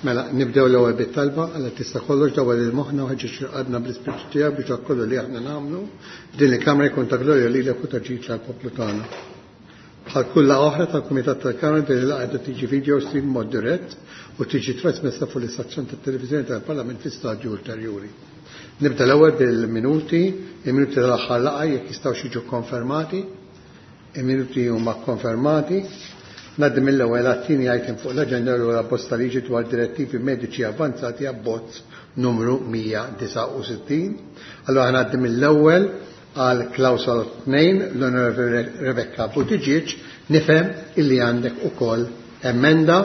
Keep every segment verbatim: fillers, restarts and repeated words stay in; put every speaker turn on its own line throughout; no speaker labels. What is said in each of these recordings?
Mela, nibdew l-ewwel bit-talba, Alla tista' kollox dawwal lil moħħna u ħeġġeġ qalbna bl-Ispirtu tiegħek biex dak kollu li aħna nagħmlu f'din il-Kamra jkun ta' glorja lilek u ta' ġid tal-poplu tagħna. Bħal kull laqgħa oħra tal-Kumitat tal-Kamra, din il-laqgħa qiegħda tiġi video stream mod dirett u tiġi trasmessa fuq l-istazzjon tat-televiżjoni tal-Parlament fi stadju ulterjuri. Nibda l-ewwel bil-minuti, il-minuti tal-aħħar laqgħa jekk jistgħu jiġu konfermati. Il-minuti huma konfermati. Ngħaddi mill-ewwel għat-tieni item fuq l-aġenda, l abbozz ta' liġi dwar direttivi mediċi avvanzati, abbozz numru mija disgħa u sittin. Allora ngħaddi mill-ewwel għal klawsola tnejn, l-Onorevoli Rebecca Buttigieg. Nifhem illi għandek ukoll emenda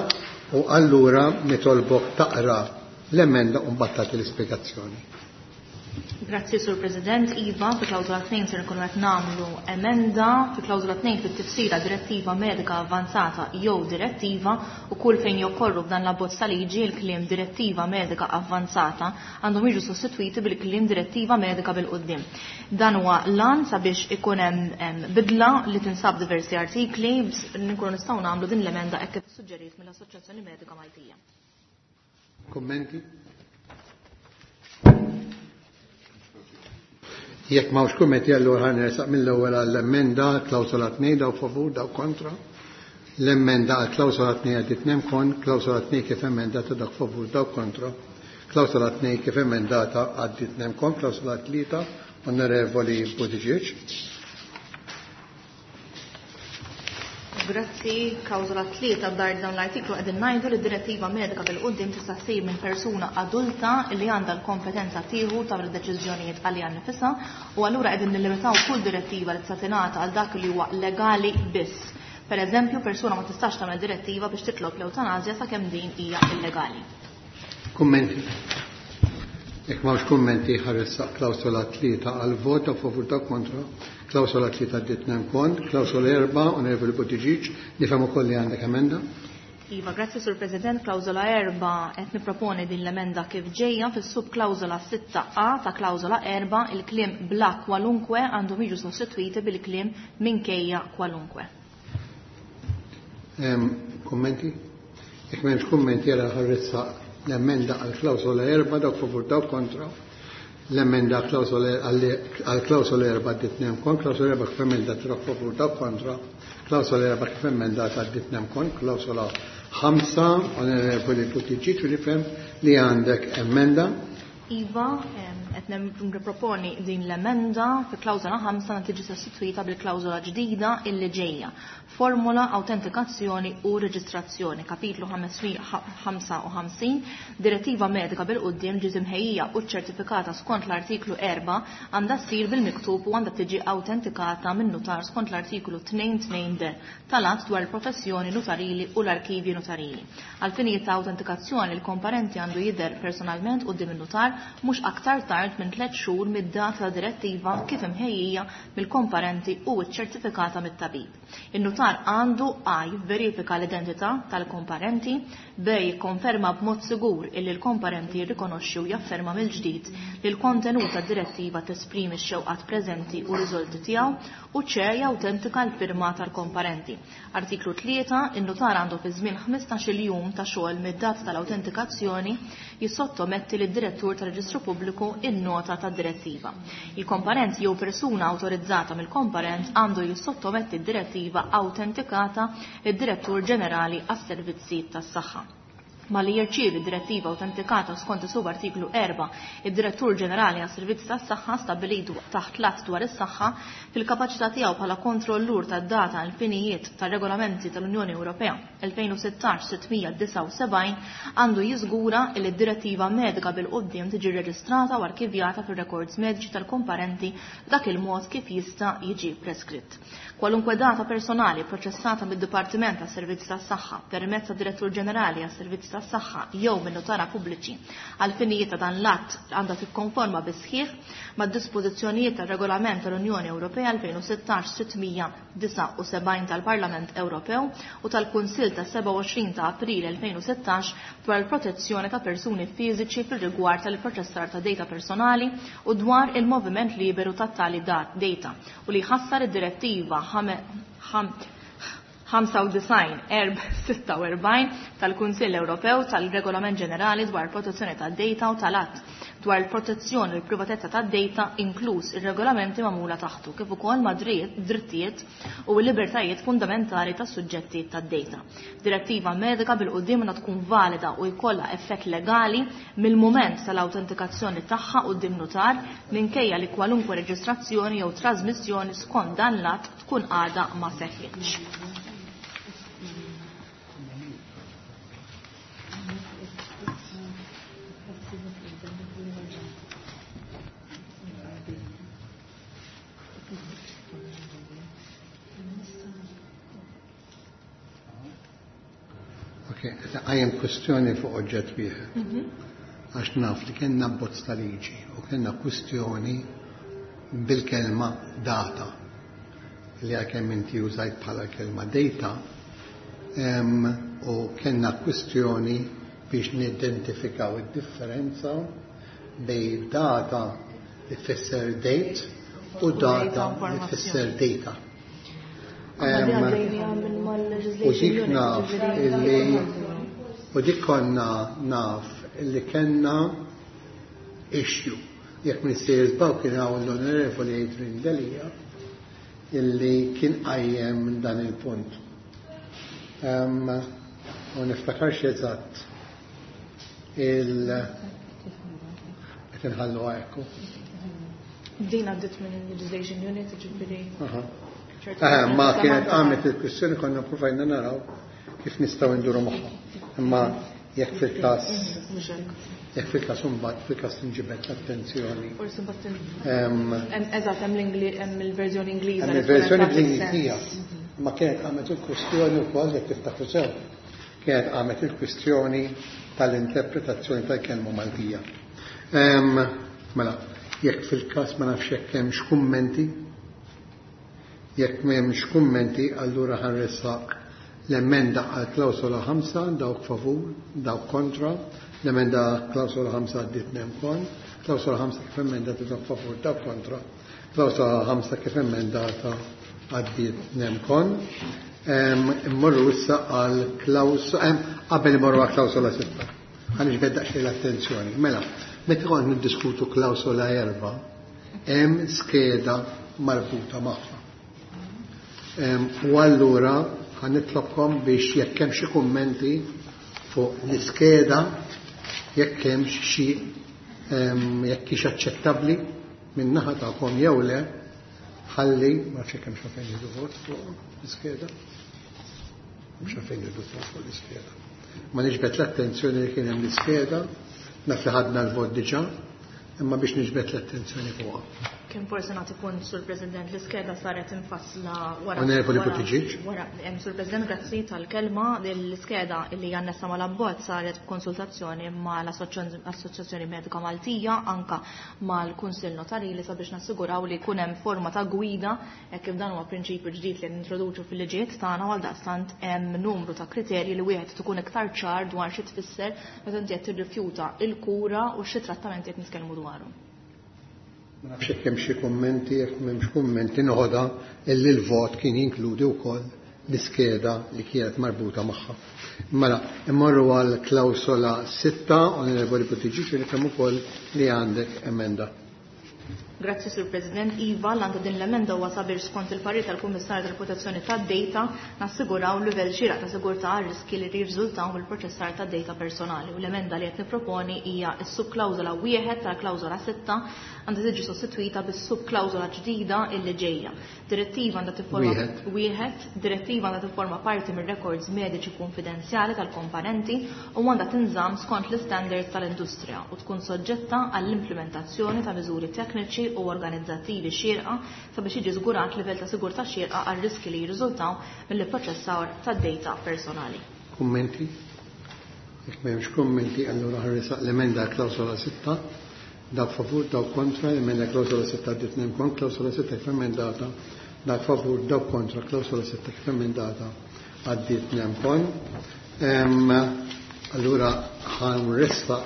u allura nitolbok taqra l-emenda u mbagħad tagħti l-ispjegazzjoni.
Grazzi, Sur President. Iva, fi klawżola tnejn ser nkunu qed nagħmlu emenda fi klawżola tnejn fit-tifsira direttiva medika avvanzata jew direttiva, u kull fejn jokkorru f'dan l-abbozz ta' liġi il-kliem direttiva medika avvanzata għandhom jiġu sostitwiti bil-kliem direttiva medika bil-quddiem. Dan huwa lan sabiex ikun hemm bidla li tinsab diversi artikli, nkunu nistgħu nagħmlu din l-emenda hekk kif suġġerit mill-Assoċjazzjoni Medika Maltija.
Kommenti? Jekk m'hawnx kummenti, allura ħa nersaq mill-ewwel għall-emenda klawsola tnejn. Dawk favur, dawk kontra. L-emenda għal klawsola tnejn għaddiet nem kon. Klawsola tnejn kif emendata, dawk favur, dawk kontra. Klawsola tnejn kif emendata għaddiet nem kon. Klawsola tlieta, Onorevoli Buttigieg.
Grazzi, klawżola tlieta, b'dar dawn l-artiklu qegħdin ngħidu li d-direttiva medika bil-quddiem tista' ssir minn persuna adulta li għandha l-kompetenza tieħu tagħmel deċiżjonijiet għaliha nnifisha, u allura qegħdin nillimitaw kull direttiva li tista' tingħata għal dak li huwa legali biss. Per eżempju, persuna ma tistax tagħmel direttiva biex titlob l-ewtanasja sakemm din hija illegali.
Kummenti? Jekk m'hawnx kummenti, ħa nressaq klawsola tlieta għal vot. Favur, dawk kontra. Klawsola tlieta għaddiet nem kon. Klawsola erba', Onorevoli Buttigieg, nifhem ukoll li għandek emenda.
Iva, grazzi, Sur President. Klawsola erba', qed niproponi din l-emenda kif ġejja: fis-subklawsola sitta A ta' klawsola erba', il-kliem bla kwalunkwe għandhom jiġu sostitwiti bil-kliem minkejja kwalunkwe.
Kommenti? Jekk m'hemmx kummenti, għala ħa nressaq l-emenda għal klawsola erba'. Dawk favur, dawk kontra. L-emenda għal klawsola erba' għaddiet nem kon. Klawsola erba' kif emendata, dawk favur, dawk kontra. Klawsola erba' kif emendata għaddiet nem kon. Klawsola ħamsa, Onorevoli Buttigieg, u nifhem li għandek emenda.
Iva, qed niproponi din l-emenda fi klawsola ħamsa tiġi sostituita bil-klawsola ġdida illi ġejja. Formula, autentikazzjoni u reġistrazzjoni. Kapitlu ħamsa u ħamsin, direttiva medika bil-quddiem ġiet imħejjija u ċertifikata skont l-artiklu erbgħa għandha ssir bil-miktub u għandha tiġi autentikata minn nutar skont l-artiklu tnejn tnejn D tal-Att dwar il-professjoni notarili u l-arkivji notarili. Għal finijiet ta' autentikazzjoni, il-komparenti għandu jidher personalment quddiem in-nutar mhux aktar tard minn tliet xhur mid-data ta' direttiva kif imħejjija mill-komparenti u ċċertifikata mit-tabib. In-nutar għandu A jivverifika l-identità tal-komparenti, B jikkonferma b'mod sigur illi l-komparenti jirrikonoxxi u jafferma mill-ġdid li l-kontenut tad-direttiva tesprimi x-xewqat preżenti u riżolti tiegħu, u C jawtentika l-firma tal-komparenti. Artiklu tlieta, in-nutar għandu fi żmien ħmistax-il jum ta' xogħol mid-data tal-autentikazzjoni jissottometti lid-direttur tal-Reġistru Pubbliku in-nota tad-direttiva. Il-komparent jew persuna awtorizzata mill-komparent għandu jissottometti d-direttiva autentikata lid-Direttur Ġenerali għas-Servizzi tas-Saħħa. Malli jirċievi direttiva autentikata skont is-subartiklu erbgħa, id-Direttur Ġenerali għas-Servizzi tas-Saħħa stabbilit taħt l-Att dwar is-Saħħa, fil-kapaċità tiegħu bħala kontrollur tad-data għal finijiet tar-regolamenti tal-Unjoni Ewropea elfejn u sittax sitt mija disgħa u sebgħin, għandu jiżgura li d-direttiva medika bil-quddiem tiġi reġistrata u arkivjata fir-rekords mediċi tal-komparenti b'dak il-mod kif jista' jiġi preskritt. Kwalunkwe data personali proċessata mid-Dipartiment tas-Servizzi tas-Saħħa permezz tad-Direttur Ġenerali għas-Servizzi tas-Saħħa jew minn notara pubbliċi għal finijiet ta' dan l-att għandha tikkonforma bis-sħiħ mad-dispożizzjonijiet tar-Regolament tal-Unjoni Ewropea elfejn u sittax sitt mija disgħa u sebgħin tal-Parlament Ewropew u tal-Kunsill ta' sebgħa u għoxrin ta' April elfejn u sittax dwar il-protezzjoni ta' persuni fiżiċi fil-rigward tal-proċessar ta' data personali u dwar il-moviment liberu ta' tali data u li jħassar id-direttiva ħamsa u disgħin erba' sitta u erbgħin tal-Kunsill Ewropew tal-Regolament Ġenerali dwar protezzjoni tad-data u tal-Att dwar il-protezzjoni u l-privatezza tad-data inkluż ir-regolamenti magħmula taħtu kif ukoll ma' drittijiet u l-libertajiet fundamentali tas-suġġetti tad-data. Direttiva medika bil-quddiem għandha tkun valida u jkollha effett legali mill-mument tal-awtentikazzjoni tagħha quddiem notar minkejja li kwalunkwe reġistrazzjoni jew trasmissjoni skont dan l-att tkun għadha ma seħħitx.
Għajem kwestjoni fuq oġġett wieħed. Għax naf li kellna abbozz ta' liġi u kellna kwestjoni bil-kelma data li għalkemm inti użajt bħala kelma data u kellna kwestjoni biex nidentifikaw id-differenza bejn data li tfisser date u data li tfisser data. U dik naf illi u dik konna naf illi kellna issue. Jekk Minister żbaw kien hawn l-Onorevoli Adrian Delia illi kien qajjem dan il-punt. U niftakarx eżatt il qed inħallu hekk.
Din għaddiet minn il-Legislation Unit, ġifieri.
Ma kienet għamlet il-kwistjoni konna provajna naraw kif nistgħu nduru magħha. Imma jekk fil-każ jekk fil-każ imbagħad fil-każ tinġibed l-attenzjoni.
Forsi mbagħad eżatt hemm il-verżjoni Ingliża.
Hemm il-verżjoni bl-Ingliżija. Ma kienet għamlet il-kwistjoni wkoll jekk tiftakru sew. Kienet għamlet il-kwistjoni tal-interpretazzjoni tal-kelma Maltija. Mela, jekk fil-każ ma nafx jekk hemmx kummenti. Jekk m'hemmx kummenti, allura ħanressaq l-emenda għal klawsola ħamsa, dawk favur, dawk kontra, l-emenda klawsola ħamsa għaddiet nemkon, klawsola ħamsa kif emendata dawk favur, dawk kontra, klawsola ħamsa kif emendata għaddiet nemkon. Immorru issa għal klawsola, qabel immorru għal klawsola sitta. Ħa niġbed daqsxejn l-attenzjoni. Mela, meta kont niddiskutu klawsola erba', hemm skeda marbuta magħha. U allura ħanitlobkom biex jekk hemm xi kummenti fuq l-iskeda, jekk hemm xi jekk hix aċċettabbli minn naħa tagħkom jew le, ħalli ma nafx jekk hemm xi fejn jieħdu vot fuq l-iskeda. Mhux fejn jieħdu vot fuq l-iskeda. Ma niġbed l-attenzjoni li kien hemm l-iskeda, naf li ħadna l-vot diġà, imma biex niġbed l-attenzjoni fuqha.
Kien forsi nagħti punt, Sur President, l-iskeda saret infassla wara.
Onorevoli Buttigieg.
Wara, Sur President, grazzi tal-kelma. L-iskeda li annessa mal-abbozz saret b'konsultazzjoni mal-Assoċjazzjoni Medika Maltija, anka mal-Kunsill Notarili sabiex nassiguraw li jkun hemm forma ta' gwida hekk kif dan huwa prinċipju ġdid li nintroduċu fil-liġijiet tagħna, għal daqstant hemm numru ta' kriterji li wieħed tkun iktar ċar dwar xi tfisser meta inti qed tirrifjuta l-kura u xi trattamenti qed nitkellmu dwarhom.
Ma nafx jekk hemm xi kummenti, jekk m'hemmx kummenti noħodha illi l-vot kien jinkludi wkoll l-iskeda li kienet marbuta magħha. Mela, immorru għal klawsola sitta, Onorevoli Buttigieg, li kemm ukoll li għandek emenda.
Grazzi, Sur President. Iva, l-għandu din l-emenda huwa sabiex skont il-parir tal-Kummissarju tal-Protezzjoni tad-Data nassiguraw livell xieraq ta' sigurtà għal riski li jirriżultaw mill-proċessar tad-data personali. U l-emenda li qed nipproponi hija s-subklawżola wieħed tal-klawżola sitta għandha tiġi sostitwita bis-subklawżola ġdida illi ġejja. Direttiva għandha tifforma
Wieħed.
wieħed, direttiva għandha tifforma parti mir-records mediċi konfidenzjali tal-komponenti u għandha tinżamm skont l-istandards tal-industrija u tkun soġġetta għall-implementazzjoni ta' miżuri tekniċi u organizzattivi xierqa sabiex jiġi żgurat livell ta' sigurtà xierqa għal riski li jirriżultaw mill-ipproċessar tad-data personali.
Kummenti? Jekk m'hemmx kummenti, allura ħarrisaq l-emenda klawsola sitta. Dak favur, dak kontra, l-emenda klawsola sitta għaddiet minn kont, klawsola sitta kif emendata, dak favur, dak kontra, klawsola sitta kif emendata għaddiet minn kont. Allura ħanresta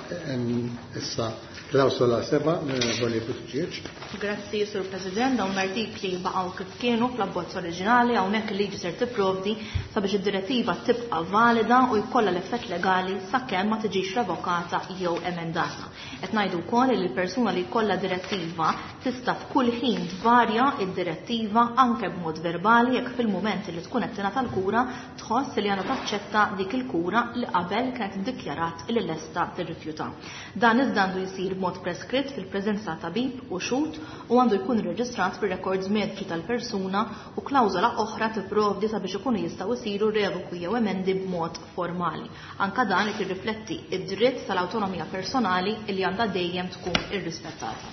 issa Klawsola seba', l-Onorevoli Buttigieg.
Grazzi, Sur President. Dawn l-artikli baqgħu kif kienu fl-abbozz oriġinali, hawnhekk il-liġi ser tipprovdi sabiex id-direttiva tibqa' valida u jkollha l-effett legali sakemm ma tiġix revokata jew emendata. Qed ngħidu wkoll li l-persuna li jkollha direttiva tista' f'kull ħin tvarja id-direttiva anke b'mod verbali jekk fil-mument li tkun qed tingħata l-kura tħoss li għandha taċċetta dik il-kura li qabel kienet iddikjarat li lesta tirrifjuta. Dan iżda għandu jsir b'mod preskritt fil-preżenza ta' tabib u xhud u għandu jkun irreġistrat fir-rekords mediċi tal-persuna u klawżola oħra tipprovdi sabiex ikunu jistgħu jsiru revoku jew emendi b'mod formali. Anka dan qed jirrifletti id-dritt tal-awtonomija personali li għandha dejjem tkun irrispettata.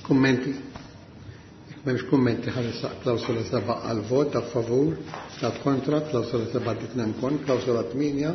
Kummenti? Jekk m'hemmx kummenti ħaresaq klawsola seba' għal vot ta' favur, ta' kontra, klawsola seba' ditnem kon, klawsola tmienja.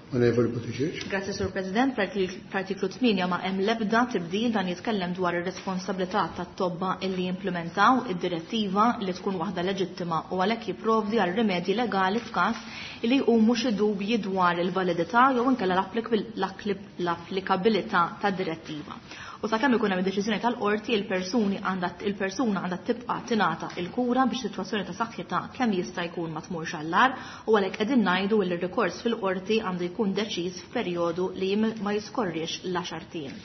Onorevoli Buttigieg.
Grazie, Sur President. Fl-artiklu tmienja ma hemm l-ebda tibdil, dan jitkellem dwar ir-responsabilità tat-tobba illi jimplementaw id-direttiva li tkun waħda leġittima u għalhekk jipprovdi għal rimedji legali f'każ li jqumu xi dubji dwar il-validità jew inkella l-applikabilità tad-direttiva. U sakemm ikun hemm deċiżjoni tal-qorti, il-persuni għandha il-persuna għandha tibqa' tingħata l-kura biex sitwazzjoni ta' saħħitha kemm jista' jkun ma tmurx għall-agħar u għalhekk qegħdin ngħidu li r-rikors fil-qorti għandu jkun deċiż f'perjodu li ma jiskorrix l-għaxar ijiem.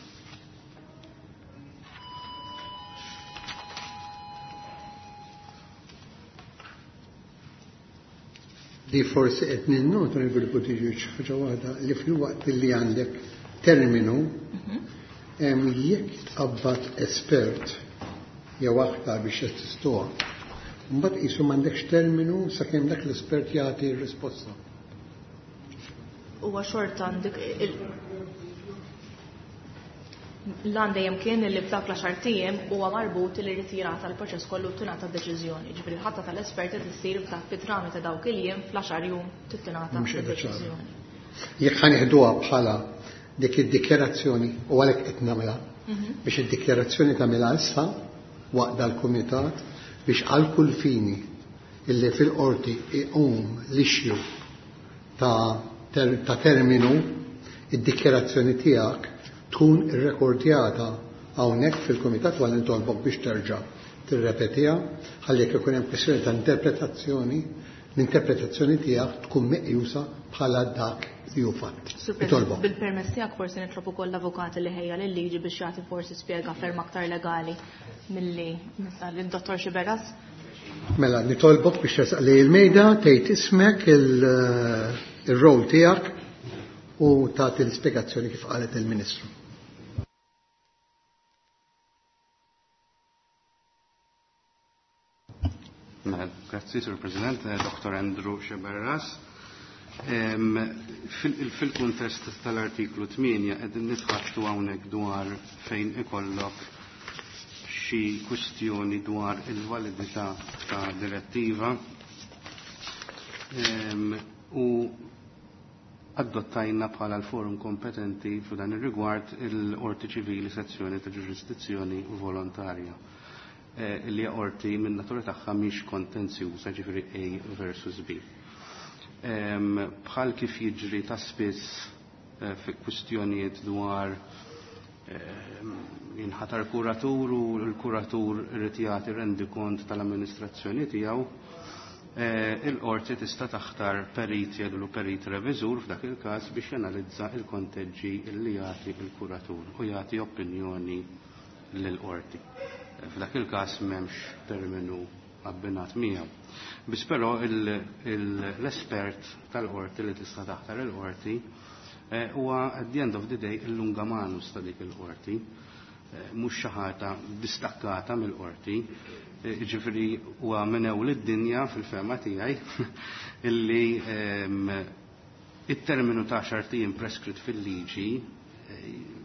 Li forsi qed ninnota Onorevoli Buttigieg ħaġa waħda li fil-waqt li għandek terminu jekk tqabbad espert jew aktar biex jassistuha, mbagħad qisu m'għandekx terminu sakemm dak l-espert jagħti r-risposta.
Huwa xorta għandek l-għan dejjem kien li f'dak l-għaxar ijiem huwa marbut li jrid jingħata l-proċess kollu tingħata deċiżjoni. Ġifieri l-ħatta tal-esperti tissir fit-trami ta' dawk il-jiem fl-għaxar jum tingħata deċiżjoni.
Jekk ħanieħduha bħala dik id-dikjarazzjoni u għalhekk qed nagħmilha biex id-dikjarazzjoni tagħmilha issa waqt dal-kumitat biex għal kull fini illi fil-qorti iqum l-issue ta' ta' terminu id-dikjarazzjoni tiegħek tkun irrekordjata hawnhekk fil-kumitat u nitolbok biex terġa' tirrepetiha ħalli jekk ikun hemm kwestjoni ta' interpretazzjoni, l-interpretazzjoni tiegħek tkun meqjusa bħala dak li hu fatt.
Bil-permess tiegħek forsi nitlob ukoll l-avukat li ħejja lil-liġi biex jagħti forsi spjega ferm aktar legali milli lid-Dottor Xiberras.
Mela, nitolbok biex tersaq lejn il-mejda, tgħid ismek, il-rol tiegħek u tagħti l-ispjegazzjoni kif qalet il-Ministru.
Grazzi, Sur President, Dottor Andrew Xiberras. Fil-kuntest tal-artiklu tmienja qegħdin nitħattu hawnhekk dwar fejn ikollok xi kwistjoni dwar il-validità ta' direttiva u adottajna bħala l-forum kompetenti f'dan ir-rigward il-Qorti Ċivili sezzjoni ta' ġurisdizzjoni volontarja li qorti minn natura tagħha mhix kontenzjuża, ġifieri A versus B. Bħal kif jiġri ta' spiss fi kwistjonijiet dwar jinħatar kuratur u l-kuratur irid jagħti rendikont tal-amministrazzjoni tiegħu, il-qorti tista' taħtar perit jgħidulu perit reviżur f'dak il-każ biex janalizza l-konteġġi li jagħti l-kuratur u jagħti opinjoni lill-qorti. F'dak il-każ m'hemmx terminu abbinat miegħu. Biss però l-espert tal-qorti li tista' taħtar il-qorti huwa at the end of the day il-lunga manus ta' dik il-qorti, mhux xi ħaġa distakkata mill-qorti, jiġifieri huwa minn ewl id-dinja fil-fehma tiegħi illi it-terminu ta' għaxar ijiem preskritt fil-liġi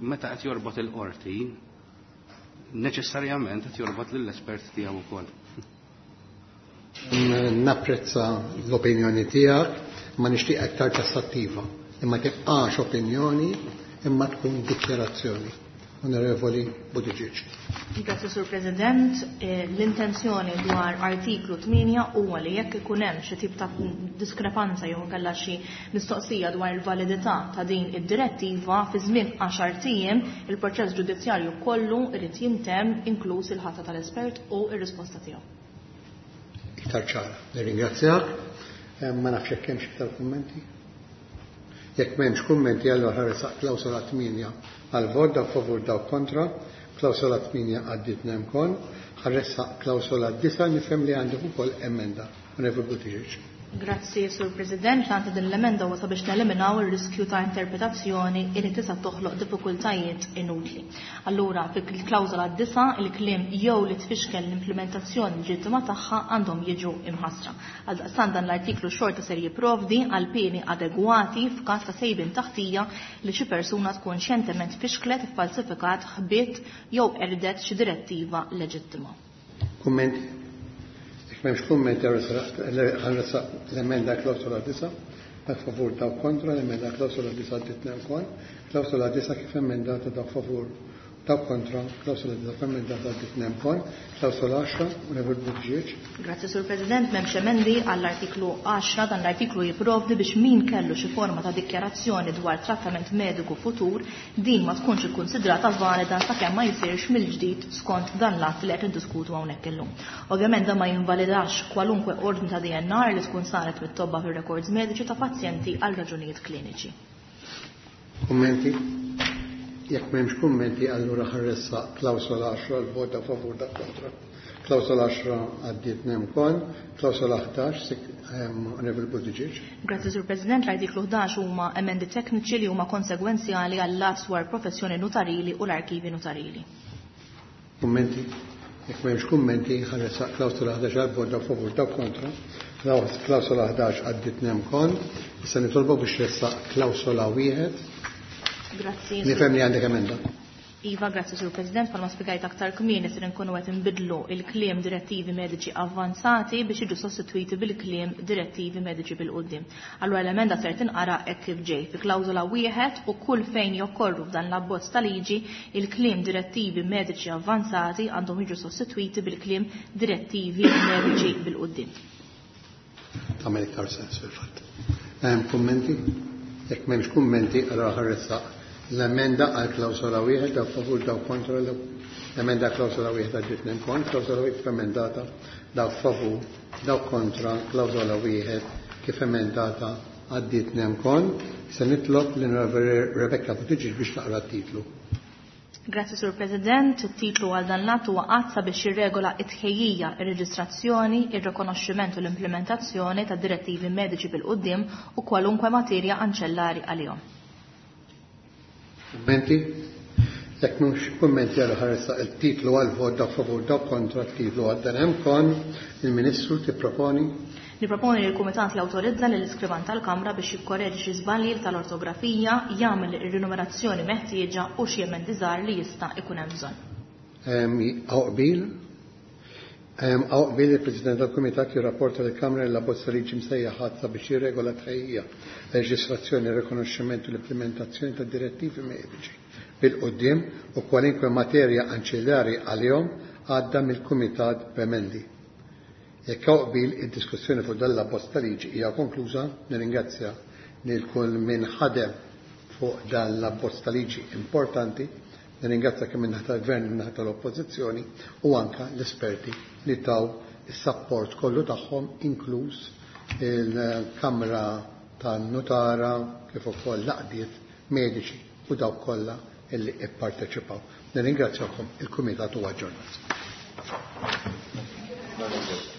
meta qed jorbot il-qorti neċessarjament qed jorbot lill-espert tiegħu wkoll.
Napprezza l-opinjoni tiegħek, ma nixtieq aktar tassattiva, imma tibqax opinjoni imma tkun dikjarazzjoni. Onorevoli Buttigieg.
Grazie, Sur President. L-intenzjoni dwar artiklu tmienja huwa li jekk ikun hemm xi tip ta' diskrepanza jew inkella xi mistoqsija dwar il-validità ta' din id-direttiva fi żmien għaxar ijiem il-proċess ġudizzjarju kollu irid jintemm inkluż il-ħatra tal-espert u r-risposta tiegħu.
Iktar ċara. Nirringrazzjak. Ma nafx jekk hemmx iktar kummenti. Jekk m'hemmx kummenti allura ħa nressaq klawsola tmienja għal vot, dawk favur, dawk kontra. Klawsola tmienja għaddiet nemkon. Ħa nressaq klawsola disa', nifhem li għandek ukoll emenda. Onorevoli Buttigieg.
Grazzi, Sur President. L-għan ta' din l-emenda huwa sabiex neliminaw ir-riskju ta' interpretazzjoni li tista' toħloq diffikultajiet inutli. Allura, fil-klawżola disa' il-kliem jew li tfixkel l-implementazzjoni leġittima tagħha għandhom jiġu imħassra. Għaldaqstant dan l-artiklu xorta ser jipprovdi għal pieni adegwati f'każ ta' sejbin taħtija li xi persuna tkun xjentement fixklet, iffalsifikat, ħbiet jew qerdet xi direttiva leġittima.
Kummenti? Jekk m'hemmx kummenti, ħa nressaq l-emenda klawsola disa', dawk favur, dawk kontra. L-emenda klawsola disa' għaddiet wkoll. Klawsola disa' kif emendata, dawk favur, dawk kontra. Klawsola disa' kif emendata għaddiet wkoll. Klawsola għaxra, Onorevoli Buttigieg.
Grazzi, Sur President. M'hemmx emendi għall-artiklu għaxra. Dan l-artiklu jipprovdi biex min kellu xi forma ta' dikjarazzjoni dwar trattament mediku futur, din ma tkunx ikkunsidrata valida sakemm ma jsirx mill-ġdid skont dan l-att li qed niddiskutu hawnhekk illum. Ovvjament dan ma jinvalidax kwalunkwe ordni ta' D N R li tkun saret mit-tobba fir-rekords mediċi ta' pazjenti għal raġunijiet kliniċi.
Kummenti? Jekk m'hemmx kummenti, allura ħa nressaq klawsola għaxra l-vot, dawk favur, dawk kontra. Klawsola għaxra għaddiet wkoll. Klawsola ħdax, Onorevoli Buttigieg.
Grazzi, Sur President. L-artiklu ħdax huma emendi tekniċi li huma konsegwenzjali għall-att dwar professjoni notarili u l-arkivi notarili.
Kummenti? Jekk m'hemmx kummenti, ħa nressaq klawsola ħdax għall-vot, dawk favur, dawk kontra. Klawsola ħdax għaddiet wkoll. Issa nitolbu biex ressaq klawsola wieħed.
Grazzi.
Nifhem li għandek emenda.
Iva, grazzi, Sur President. Palma spjegajt aktar kmieni ser nkunu qed inbidlu il-kliem direttivi mediċi avvanzati biex jiġu sostituiti bil-kliem direttivi mediċi bil-quddiem. Allura l-emenda ser tinqara hekk kif ġej fi klawżola wieħed u kull fejn jokkorru f'dan l-abbozz ta' liġi il-kliem direttivi mediċi avvanzati għandhom jiġu sostituiti bil-kliem direttivi mediċi bil-quddiem.
Tagħmel iktar sens fil-fatt. Hemm kummenti? Jekk m'hemmx kummenti, allura ħa nressaq l-emenda għal klawsola wieħed, dawk favur, dawk kontra. L-emenda klawsola wieħed għaddiet wkoll. Klawsola wieħed kif emendata, dawk favur, dawk kontra. Klawsola wieħed kif emendata għaddiet wkoll. Se nitlob l-Onorevoli Rebecca Buttigieg biex taqra t-titlu.
Grazzi, Sur President. It-titlu għal dan l-att huwa att sabiex jirregola t-tħejjija, ir-reġistrazzjoni, ir-rikonoxximent u l-implementazzjoni ta' direttivi mediċi bil-quddiem u kwalunkwe materja anċellari għalihom.
Kummenti? Jekk mhux kummenti, għal ħa nressaq il-titlu għal vot, dawk favur, dawk kontra. T-titlu għal dan hemm kon. Il-Ministru tipproponi?
Niproponi li l-Kumitat l-awtorizza lill iskrivan tal-Kamra biex jikkoreġi xi żbalji tal-ortografija, jagħmel ir-rinumerazzjoni meħtieġa u xi emendi żgħar li jista' ikun hemm bżonn.
Hawn qbil? Hawn qbil il-President tal-Kumitat jirrapporta lill-Kamra li l-abbozz ta' liġi msejjaħ att sabiex jirregola tħejjija, leġislazzjoni, rikonoxximent u l-implementazzjoni ta' direttivi mediċi bil-quddiem u kwalinkwe materja anċillari għalihom għadda mill-Kumitat b'emendi. Jekk hawn qbil, id-diskussjoni fuq dan l-abbozz ta' liġi hija konkluża. Nirringrazzja lil kull min ħadem fuq dan l-abbozz ta' liġi importanti. Nirringrazzja kemm min-naħa tal-Gvern, min-naħa tal-Oppożizzjoni u anka l-esperti li taw is-sapport kollu tagħhom, inkluż il-Kamra tan-Nutara kif ukoll l-għaqdiet mediċi u dawk kollha illi ipparteċipaw. Nirringrazzjakom, il-Kumitat huwa aġġornat.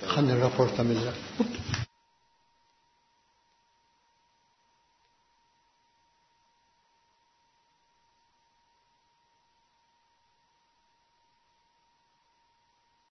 Ħa nirrapporta mill-